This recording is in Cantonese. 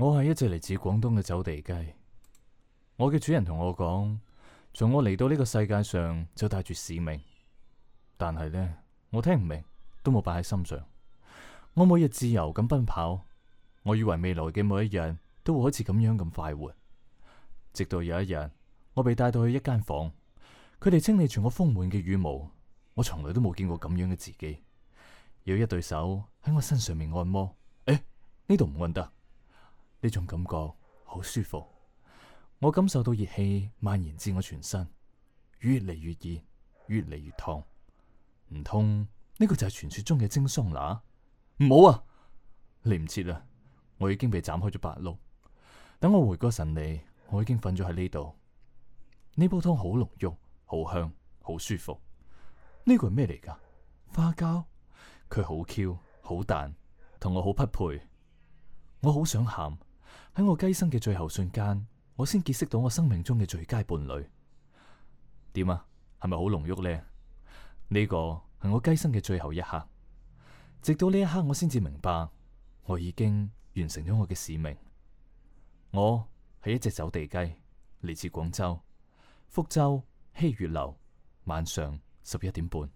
我係一隻嚟自廣東嘅走地雞。我嘅主人同我講，從我嚟到呢個世界上就帶住使命，但係呢，我聽唔明，都冇擺喺心上。我每日自由咁奔跑，我以為未來嘅每一日都會好似咁樣咁快活。直到有一日，我被帶到去一間房，佢哋清理住我豐滿嘅羽毛，我從來都冇見過咁樣嘅自己。有一對手喺我身上面按摩，呢度唔按得，呢種感覺好舒服。我感受到熱氣蔓延至我全身，越嚟越熱，越嚟越燙。唔通呢個就係傳說中嘅蒸桑拿？唔好啊！嚟唔切啦，我已經被斬開咗8碌。等我回過神嚟，我已經瞓咗喺呢度。呢煲湯好濃郁，好香，好舒服。呢個係咩嚟㗎？花膠？佢好 Q，好彈，同我好匹配。我好想喊，喺我雞生嘅最後瞬間，我先結識到我生命中嘅最佳伴侶。點啊？係咪好濃郁呢？呢個係我雞生嘅最後一刻。直到呢一刻，我先至明白，我已經完成咗我嘅使命。我係一隻走地雞，嚟自廣州福州希月樓，晚上11點半。